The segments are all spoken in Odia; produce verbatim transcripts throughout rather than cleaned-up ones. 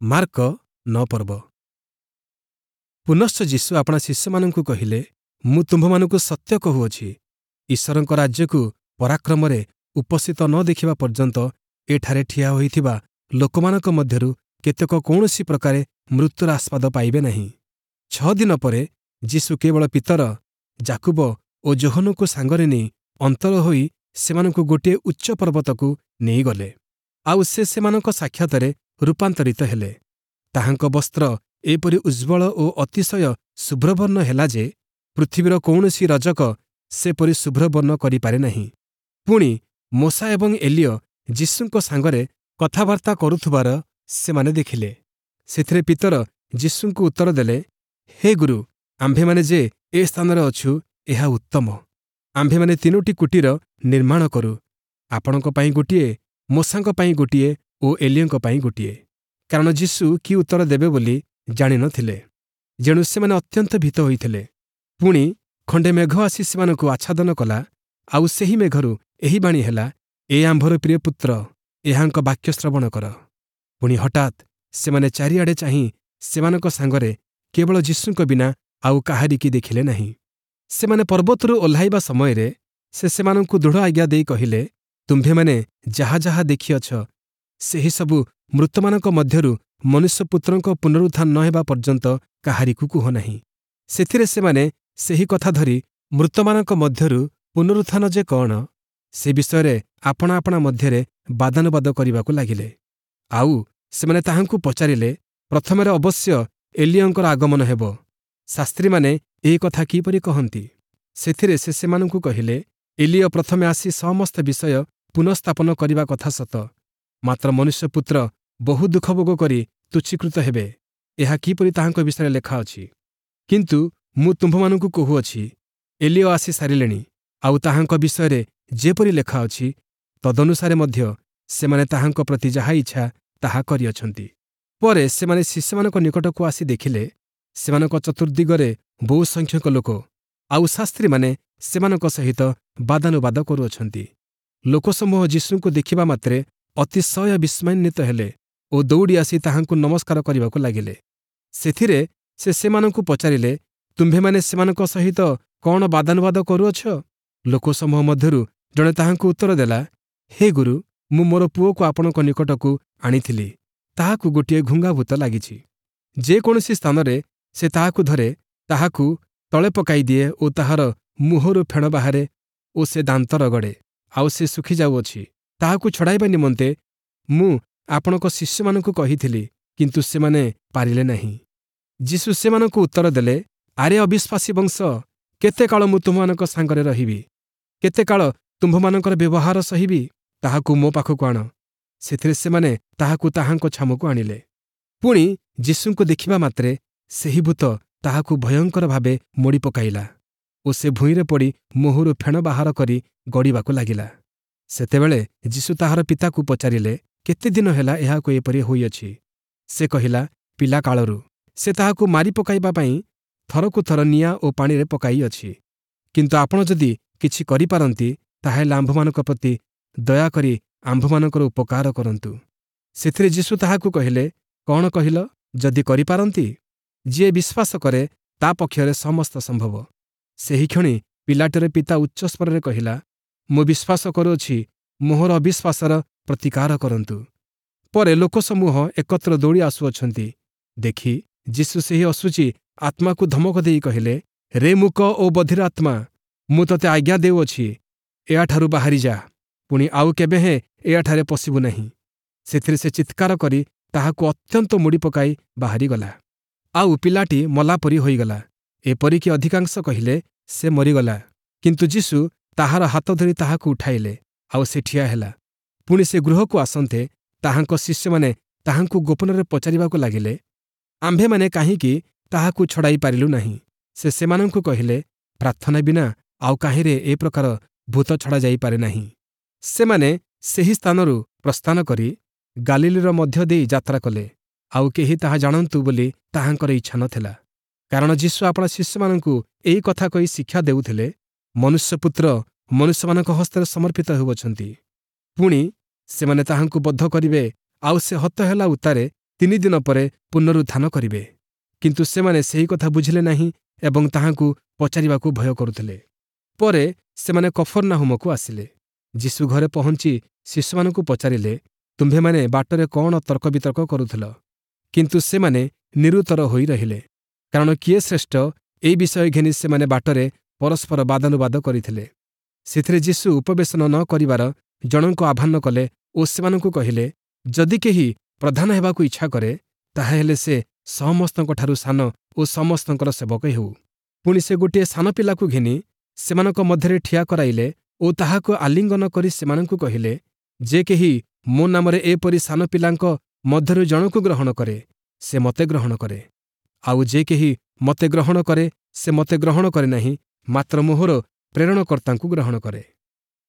ମାର୍କ ନଅ ପର୍ବ ପୁନଶ୍ଚ ଯୀଶୁ ଆପଣା ଶିଷ୍ୟମାନଙ୍କୁ କହିଲେ ମୁଁ ତୁମ୍ଭମାନଙ୍କୁ ସତ୍ୟ କହୁଅଛି ଈଶ୍ୱରଙ୍କ ରାଜ୍ୟକୁ ପରାକ୍ରମରେ ଉପସ୍ଥିତ ନ ଦେଖିବା ପର୍ଯ୍ୟନ୍ତ ଏଠାରେ ଠିଆ ହୋଇଥିବା ଲୋକମାନଙ୍କ ମଧ୍ୟରୁ କେତେକ କୌଣସି ପ୍ରକାରେ ମୃତ୍ୟୁର ଆସ୍ୱାଦ ପାଇବେ ନାହିଁ ଛଅ ଦିନ ପରେ ଯୀଶୁ କେବଳ ପିତର ଯାକୁବ ଓ ଯୋହନଙ୍କୁ ସାଙ୍ଗରେ ନେଇ ଅନ୍ତର ହୋଇ ସେମାନଙ୍କୁ ଗୋଟିଏ ଉଚ୍ଚ ପର୍ବତକୁ ନେଇଗଲେ ଆଉ ସେ ସେମାନଙ୍କ ସାକ୍ଷାତରେ ରୂପାନ୍ତରିତ ହେଲେ ତାହାଙ୍କ ବସ୍ତ୍ର ଏପରି ଉଜ୍ଜ୍ୱଳ ଓ ଅତିଶୟ ଶୁଭ୍ରବର୍ଣ୍ଣ ହେଲା ଯେ ପୃଥିବୀର କୌଣସି ରଜକ ସେପରି ଶୁଭ୍ରବର୍ଣ୍ଣ କରିପାରେ ନାହିଁ ପୁଣି ମୋଶା ଏବଂ ଏଲିୟ ଯୀଶୁଙ୍କ ସାଙ୍ଗରେ କଥାବାର୍ତ୍ତା କରୁଥିବାର ସେମାନେ ଦେଖିଲେ ସେଥିରେ ପିତର ଯୀଶୁଙ୍କୁ ଉତ୍ତର ଦେଲେ ହେ ଗୁରୁ ଆମ୍ଭେମାନେ ଯେ ଏ ସ୍ଥାନରେ ଅଛୁ ଏହା ଉତ୍ତମ ଆମ୍ଭେମାନେ ତିନୋଟି କୁଟୀର ନିର୍ମାଣ କରୁ ଆପଣଙ୍କ ପାଇଁ ଗୋଟିଏ ମୋଶାଙ୍କ ପାଇଁ ଗୋଟିଏ ଓ ଏଲିୟଙ୍କ ପାଇଁ ଗୋଟିଏ କାରଣ ଯୀଶୁ କି ଉତ୍ତର ଦେବେ ବୋଲି ଜାଣିନଥିଲେ ଯେଣୁ ସେମାନେ ଅତ୍ୟନ୍ତ ଭୀତ ହୋଇଥିଲେ ପୁଣି ଖଣ୍ଡେ ମେଘ ଆସି ସେମାନଙ୍କୁ ଆଚ୍ଛାଦନ କଲା ଆଉ ସେହି ମେଘରୁ ଏହି ବାଣୀ ହେଲା ଏ ଆମ୍ଭର ପ୍ରିୟ ପୁତ୍ର ଏହାଙ୍କ ବାକ୍ୟ ଶ୍ରବଣ କର ପୁଣି ହଠାତ୍ ସେମାନେ ଚାରିଆଡ଼େ ଚାହିଁ ସେମାନଙ୍କ ସାଙ୍ଗରେ କେବଳ ଯୀଶୁଙ୍କ ବିନା ଆଉ କାହାରିକି ଦେଖିଲେ ନାହିଁ ସେମାନେ ପର୍ବତରୁ ଓହ୍ଲାଇବା ସମୟରେ ସେ ସେମାନଙ୍କୁ ଦୃଢ଼ ଆଜ୍ଞା ଦେଇ କହିଲେ ତୁମ୍ଭେମାନେ ଯାହା ଯାହା ଦେଖିଅଛ ସେହିସବୁ ମୃତମାନଙ୍କ ମଧ୍ୟରୁ ମନୁଷ୍ୟପୁତ୍ରଙ୍କ ପୁନରୁତ୍ଥାନ ନ ହେବା ପର୍ଯ୍ୟନ୍ତ କାହାରିକୁ କୁହ ନାହିଁ ସେଥିରେ ସେମାନେ ସେହି କଥା ଧରି ମୃତମାନଙ୍କ ମଧ୍ୟରୁ ପୁନରୁତ୍ଥାନ ଯେ କଣ ସେ ବିଷୟରେ ଆପଣା ଆପଣା ମଧ୍ୟରେ ବାଦାନୁବାଦ କରିବାକୁ ଲାଗିଲେ ଆଉ ସେମାନେ ତାହାଙ୍କୁ ପଚାରିଲେ ପ୍ରଥମରେ ଅବଶ୍ୟ ଏଲିୟଙ୍କର ଆଗମନ ହେବ ଶାସ୍ତ୍ରୀମାନେ ଏହି କଥା କିପରି କହନ୍ତି ସେଥିରେ ସେ ସେମାନଙ୍କୁ କହିଲେ ଏଲିୟ ପ୍ରଥମେ ଆସି ସମସ୍ତ ବିଷୟ ପୁନଃସ୍ଥାପନ କରିବା କଥା ସତ ମାତ୍ର ମନୁଷ୍ୟପୁତ୍ର ବହୁ ଦୁଃଖ ଭୋଗ କରି ତୁଚ୍ଛୀକୃତ ହେବେ ଏହା କିପରି ତାହାଙ୍କ ବିଷୟରେ ଲେଖା ଅଛି କିନ୍ତୁ ମୁଁ ତୁମ୍ଭମାନଙ୍କୁ କହୁଅଛି ଏଲିୟ ଆସି ସାରିଲେଣି ଆଉ ତାହାଙ୍କ ବିଷୟରେ ଯେପରି ଲେଖା ଅଛି ତଦନୁସାରେ ମଧ୍ୟ ସେମାନେ ତାହାଙ୍କ ପ୍ରତି ଯାହା ଇଚ୍ଛା ତାହା କରିଅଛନ୍ତି ପରେ ସେମାନେ ଶିଷ୍ୟମାନଙ୍କ ନିକଟକୁ ଆସି ଦେଖିଲେ ସେମାନଙ୍କ ଚତୁର୍ଦ୍ଦିଗରେ ବହୁ ସଂଖ୍ୟକ ଲୋକ ଆଉ ଶାସ୍ତ୍ରୀମାନେ ସେମାନଙ୍କ ସହିତ ବାଦାନୁବାଦ କରୁଅଛନ୍ତି ଲୋକସମୂହ ଯୀଶୁଙ୍କୁ ଦେଖିବା ମାତ୍ରେ ଅତିଶୟ ବିସ୍ମୟାନ୍ୱିତ ହେଲେ ଓ ଦୌଡ଼ି ଆସି ତାହାଙ୍କୁ ନମସ୍କାର କରିବାକୁ ଲାଗିଲେ ସେଥିରେ ସେ ସେମାନଙ୍କୁ ପଚାରିଲେ ତୁମ୍ଭେମାନେ ସେମାନଙ୍କ ସହିତ କଣ ବାଦାନୁବାଦ କରୁଅଛ ଲୋକସମୂହ ମଧ୍ୟରୁ ଜଣେ ତାହାଙ୍କୁ ଉତ୍ତର ଦେଲା ହେ ଗୁରୁ ମୁଁ ମୋର ପୁଅକୁ ଆପଣଙ୍କ ନିକଟକୁ ଆଣିଥିଲି ତାହାକୁ ଗୋଟିଏ ଘୁଙ୍ଗାଭୂତ ଲାଗିଛି ଯେକୌଣସି ସ୍ଥାନରେ ସେ ତାହାକୁ ଧରେ ତାହାକୁ ତଳେ ପକାଇ ଦିଏ ଓ ତାହାର ମୁହଁରୁ ଫେଣ ବାହାରେ ଓ ସେ ଦାନ୍ତ ରଗଡ଼େ ଆଉ ସେ ଶୁଖିଯାଉଅଛି ତାହାକୁ ଛଡ଼ାଇବା ନିମନ୍ତେ ମୁଁ ଆପଣଙ୍କ ଶିଷ୍ୟମାନଙ୍କୁ କହିଥିଲି କିନ୍ତୁ ସେମାନେ ପାରିଲେ ନାହିଁ ଯୀଶୁ ସେମାନଙ୍କୁ ଉତ୍ତର ଦେଲେ ଆରେ ଅବିଶ୍ୱାସୀ ବଂଶ କେତେ କାଳ ମୁଁ ତୁମମାନଙ୍କ ସାଙ୍ଗରେ ରହିବି କେତେ କାଳ ତୁମ୍ଭମାନଙ୍କର ବ୍ୟବହାର ସହିବି ତାହାକୁ ମୋ ପାଖକୁ ଆଣ ସେଥିରେ ସେମାନେ ତାହାକୁ ତାହାଙ୍କ ଛାମୁକୁ ଆଣିଲେ ପୁଣି ଯୀଶୁଙ୍କୁ ଦେଖିବା ମାତ୍ରେ ସେହି ଭୂତ ତାହାକୁ ଭୟଙ୍କର ଭାବେ ମୋଡ଼ି ପକାଇଲା ଓ ସେ ଭୂଇଁରେ ପଡ଼ି ମୁହଁରୁ ଫେଣ ବାହାର କରି ଗଡ଼ିବାକୁ ଲାଗିଲା ସେତେବେଳେ ଯୀଶୁ ତାହାର ପିତାକୁ ପଚାରିଲେ କେତେ ଦିନ ହେଲା ଏହାକୁ ଏପରି ହୋଇଅଛି ସେ କହିଲା ପିଲାକାଳରୁ ସେ ତାହାକୁ ମାରି ପକାଇବା ପାଇଁ ଥରକୁ ଥର ନିଆଁ ଓ ପାଣିରେ ପକାଇଅଛି କିନ୍ତୁ ଆପଣ ଯଦି କିଛି କରିପାରନ୍ତି ତାହାହେଲେ ଆମ୍ଭମାନଙ୍କ ପ୍ରତି ଦୟାକରି ଆମ୍ଭମାନଙ୍କର ଉପକାର କରନ୍ତୁ ସେଥିରେ ଯୀଶୁ ତାହାକୁ କହିଲେ କଣ କହିଲ ଯଦି କରିପାରନ୍ତି ଯିଏ ବିଶ୍ୱାସ କରେ ତା ପକ୍ଷରେ ସମସ୍ତ ସମ୍ଭବ ସେହିକ୍ଷଣି ପିଲାଟିର ପିତା ଉଚ୍ଚସ୍ୱରରେ କହିଲା ମୁଁ ବିଶ୍ୱାସ କରୁଅଛି ମୋହର ଅବିଶ୍ୱାସର ପ୍ରତିକାର କରନ୍ତୁ ପରେ ଲୋକସମୂହ ଏକତ୍ର ଦୌଡ଼ି ଆସୁଅଛନ୍ତି ଦେଖି ଯୀଶୁ ସେହି ଅଶୁଚି ଆତ୍ମାକୁ ଧମକ ଦେଇ କହିଲେ ରେ ମୂକ ଓ ବଧିର ଆତ୍ମା ମୁଁ ତୋତେ ଆଜ୍ଞା ଦେଉଅଛି ଏହାଠାରୁ ବାହାରି ଯା ପୁଣି ଆଉ କେବେ ହେଁ ଏହାଠାରେ ପଶିବୁ ନାହିଁ ସେଥିରେ ସେ ଚିତ୍କାର କରି ତାହାକୁ ଅତ୍ୟନ୍ତ ମୋଡ଼ି ପକାଇ ବାହାରିଗଲା ଆଉ ପିଲାଟି ମଲା ପରି ହୋଇଗଲା ଏପରିକି ଅଧିକାଂଶ କହିଲେ ସେ ମରିଗଲା କିନ୍ତୁ ଯୀଶୁ ତାହାର ହାତ ଧରି ତାହାକୁ ଉଠାଇଲେ ଆଉ ସେ ଠିଆ ହେଲା ପୁଣି ସେ ଗୃହକୁ ଆସନ୍ତେ ତାହାଙ୍କ ଶିଷ୍ୟମାନେ ତାହାଙ୍କୁ ଗୋପନରେ ପଚାରିବାକୁ ଲାଗିଲେ ଆମ୍ଭେମାନେ କାହିଁକି ତାହାକୁ ଛଡ଼ାଇ ପାରିଲୁ ନାହିଁ ସେ ସେମାନଙ୍କୁ କହିଲେ ପ୍ରାର୍ଥନା ବିନା ଆଉ କାହିଁରେ ଏ ପ୍ରକାର ଭୂତ ଛଡ଼ା ଯାଇପାରେ ନାହିଁ ସେମାନେ ସେହି ସ୍ଥାନରୁ ପ୍ରସ୍ଥାନ କରି ଗାଲିଲୀର ମଧ୍ୟ ଦେଇ ଯାତ୍ରା କଲେ ଆଉ କେହି ତାହା ଜାଣନ୍ତୁ ବୋଲି ତାହାଙ୍କର ଇଚ୍ଛା ନଥିଲା କାରଣ ଯୀଶୁ ଆପଣା ଶିଷ୍ୟମାନଙ୍କୁ ଏହି କଥା କହି ଶିକ୍ଷା ଦେଉଥିଲେ ମନୁଷ୍ୟପୁତ୍ର ମନୁଷ୍ୟମାନଙ୍କ ହସ୍ତରେ ସମର୍ପିତ ହେଉଅଛନ୍ତି ପୁଣି ସେମାନେ ତାହାଙ୍କୁ ବଧ କରିବେ ଆଉ ସେ ହତ ହେଲା ଉତ୍ତାରେ ତିନି ଦିନ ପରେ ପୁନରୁତ୍ଥାନ କରିବେ। କିନ୍ତୁ ସେମାନେ ସେହି କଥା ବୁଝିଲେ ନାହିଁ ଏବଂ ତାହାଙ୍କୁ ପଚାରିବାକୁ ଭୟ କରୁଥିଲେ। ପରେ ସେମାନେ କଫର୍ନାହୂମକୁ ଆସିଲେ। ଯୀଶୁ ଘରେ ପହଞ୍ଚି ଶିଷ୍ୟମାନଙ୍କୁ ପଚାରିଲେ, ତୁମ୍ଭେମାନେ ବାଟରେ କଣ ତର୍କବିତର୍କ କରୁଥିଲ? କିନ୍ତୁ ସେମାନେ ନିରୁତ୍ତର ହୋଇ ରହିଲେ, କାରଣ କିଏ ଶ୍ରେଷ୍ଠ ଏହି ବିଷୟ ଘେନି ସେମାନେ ବାଟରେ ପରସ୍ପର ବାଦାନୁବାଦ କରିଥିଲେ। ସେଥିରେ ଯୀଶୁ ଉପବେଶନ ନ କରିବାର ଜଣଙ୍କୁ ଆହ୍ୱାନ କଲେ ଓ ସେମାନଙ୍କୁ କହିଲେ, ଯଦି କେହି ପ୍ରଧାନ ହେବାକୁ ଇଚ୍ଛା କରେ, ତାହାହେଲେ ସେ ସମସ୍ତଙ୍କଠାରୁ ସାନ ଓ ସମସ୍ତଙ୍କର ସେବକ ହେଉ। ପୁଣି ସେ ଗୋଟିଏ ସାନ ପିଲାକୁ ଘେନି ସେମାନଙ୍କ ମଧ୍ୟରେ ଠିଆ କରାଇଲେ ଓ ତାହାକୁ ଆଲିଙ୍ଗନ କରି ସେମାନଙ୍କୁ କହିଲେ, ଯେ କେହି ମୋ ନାମରେ ଏପରି ସାନ ପିଲାଙ୍କ ମଧ୍ୟରୁ ଜଣକୁ ଗ୍ରହଣ କରେ, ସେ ମୋତେ ଗ୍ରହଣ କରେ। ଆଉ ଯେ କେହି ମୋତେ ଗ୍ରହଣ କରେ, ସେ ମୋତେ ଗ୍ରହଣ କରେ ନାହିଁ, ମାତ୍ର ମୋହର ପ୍ରେରଣକର୍ତ୍ତାଙ୍କୁ ଗ୍ରହଣ କରେ।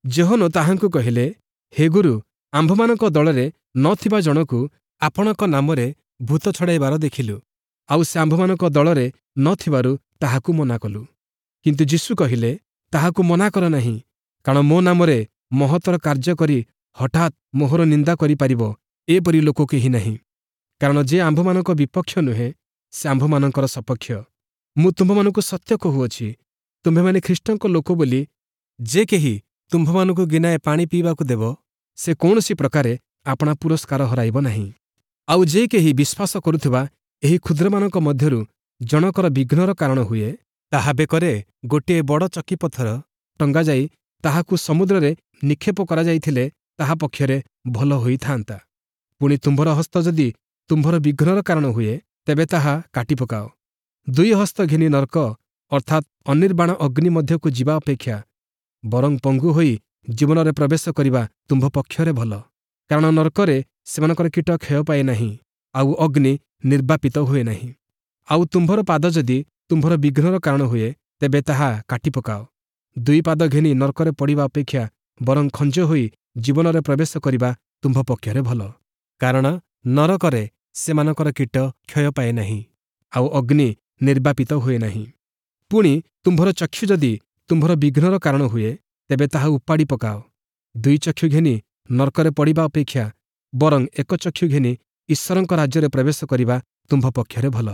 ଯୋହନ ତାହାଙ୍କୁ କହିଲେ, ହେ ଗୁରୁ, ଆମ୍ଭମାନଙ୍କ ଦଳରେ ନ ଥିବା ଜଣକୁ ଆପଣଙ୍କ ନାମରେ ଭୂତ ଛଡ଼ାଇବାର ଦେଖିଲୁ, ଆଉ ସେ ଆମ୍ଭମାନଙ୍କ ଦଳରେ ନ ଥିବାରୁ ତାହାକୁ ମନା କଲୁ। କିନ୍ତୁ ଯୀଶୁ କହିଲେ, ତାହାକୁ ମନା କର ନାହିଁ, କାରଣ ମୋ ନାମରେ ମହତ୍ତର କାର୍ଯ୍ୟ କରି ହଠାତ୍ ମୋହର ନିନ୍ଦା କରିପାରିବ ଏପରି ଲୋକ କେହି ନାହିଁ। କାରଣ ଯେ ଆମ୍ଭମାନଙ୍କ ବିପକ୍ଷ ନୁହେଁ, ସେ ଆମ୍ଭମାନଙ୍କର ସପକ୍ଷ। ମୁଁ ତୁମ୍ଭମାନଙ୍କୁ ସତ୍ୟ କହୁଅଛି, ତୁମ୍ଭେମାନେ ଖ୍ରୀଷ୍ଟଙ୍କ ଲୋକ ବୋଲି ଯେ କେହି ତୁମ୍ଭମାନଙ୍କୁ ଗିନାଏ ପାଣି ପିଇବାକୁ ଦେବ, ସେ କୌଣସି ପ୍ରକାରେ ଆପଣା ପୁରସ୍କାର ହରାଇବ ନାହିଁ। ଆଉ ଯେ କେହି ବିଶ୍ୱାସ କରୁଥିବା ଏହି କ୍ଷୁଦ୍ରମାନଙ୍କ ମଧ୍ୟରୁ ଜଣକର ବିଘ୍ନର କାରଣ ହୁଏ, ତାହା ବେକରେ ଗୋଟିଏ ବଡ଼ ଚକିପଥର ଟଙ୍ଗାଯାଇ ତାହାକୁ ସମୁଦ୍ରରେ ନିକ୍ଷେପ କରାଯାଇଥିଲେ ତାହା ପକ୍ଷରେ ଭଲ ହୋଇଥାନ୍ତା। ପୁଣି ତୁମ୍ଭର ହସ୍ତ ଯଦି ତୁମ୍ଭର ବିଘ୍ନର କାରଣ ହୁଏ, ତେବେ ତାହା କାଟି ପକାଅ। ଦୁଇ ହସ୍ତ ଘେନି ନର୍କ ଅର୍ଥାତ୍ ଅନିର୍ବାଣ ଅଗ୍ନି ମଧ୍ୟକୁ ଯିବା ଅପେକ୍ଷା ବରଂ ପଙ୍ଗୁ ହୋଇ ଜୀବନରେ ପ୍ରବେଶ କରିବା ତୁମ୍ଭ ପକ୍ଷରେ ଭଲ। କାରଣ ନର୍କରେ ସେମାନଙ୍କର କୀଟ କ୍ଷୟ ପାଏ ନାହିଁ, ଆଉ ଅଗ୍ନି ନିର୍ବାପିତ ହୁଏ ନାହିଁ। ଆଉ ତୁମ୍ଭର ପାଦ ଯଦି ତୁମ୍ଭର ବିଘ୍ନର କାରଣ ହୁଏ, ତେବେ ତାହା କାଟି ପକାଅ। ଦୁଇ ପାଦ ଘେନି ନର୍କରେ ପଡ଼ିବା ଅପେକ୍ଷା ବରଂ ଖଞ୍ଜ ହୋଇ ଜୀବନରେ ପ୍ରବେଶ କରିବା ତୁମ୍ଭ ପକ୍ଷରେ ଭଲ। କାରଣ ନରକରେ ସେମାନଙ୍କର କୀଟ କ୍ଷୟ ପାଏ ନାହିଁ, ଆଉ ଅଗ୍ନି ନିର୍ବାପିତ ହୁଏ ନାହିଁ। ପୁଣି ତୁମ୍ଭର ଚକ୍ଷୁ ଯଦି ତୁମ୍ଭର ବିଘ୍ନର କାରଣ ହୁଏ, ତେବେ ତାହା ଉପାଡ଼ି ପକାଅ। ଦୁଇ ଚକ୍ଷୁ ଘେନି ନର୍କରେ ପଡ଼ିବା ଅପେକ୍ଷା ବରଂ ଏକ ଚକ୍ଷୁ ଘେନି ଈଶ୍ୱରଙ୍କ ରାଜ୍ୟରେ ପ୍ରବେଶ କରିବା ତୁମ୍ଭ ପକ୍ଷରେ ଭଲ।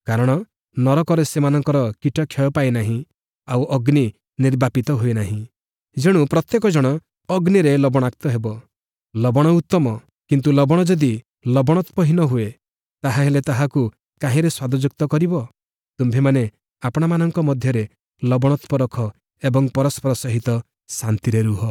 କାରଣ ନରକରେ ସେମାନଙ୍କର କୀଟ କ୍ଷୟ ପାଏ ନାହିଁ, ଆଉ ଅଗ୍ନି ନିର୍ବାପିତ ହୁଏ ନାହିଁ। ଯେଣୁ ପ୍ରତ୍ୟେକ ଜଣ ଅଗ୍ନିରେ ଲବଣାକ୍ତ ହେବ। ଲବଣ ଉତ୍ତମ, କିନ୍ତୁ ଲବଣ ଯଦି ଲବଣତ୍ୱହୀନ ହୁଏ, ତାହାହେଲେ ତାହାକୁ କାହିଁରେ ସ୍ୱାଦଯୁକ୍ତ କରିବ? ତୁମ୍ଭେମାନେ ଆପଣାମାନଙ୍କ ମଧ୍ୟରେ ଲବଣତ୍ୱ ରଖ ଏବଂ ପରସ୍ପର ସହିତ ଶାନ୍ତିରେ ରୁହ।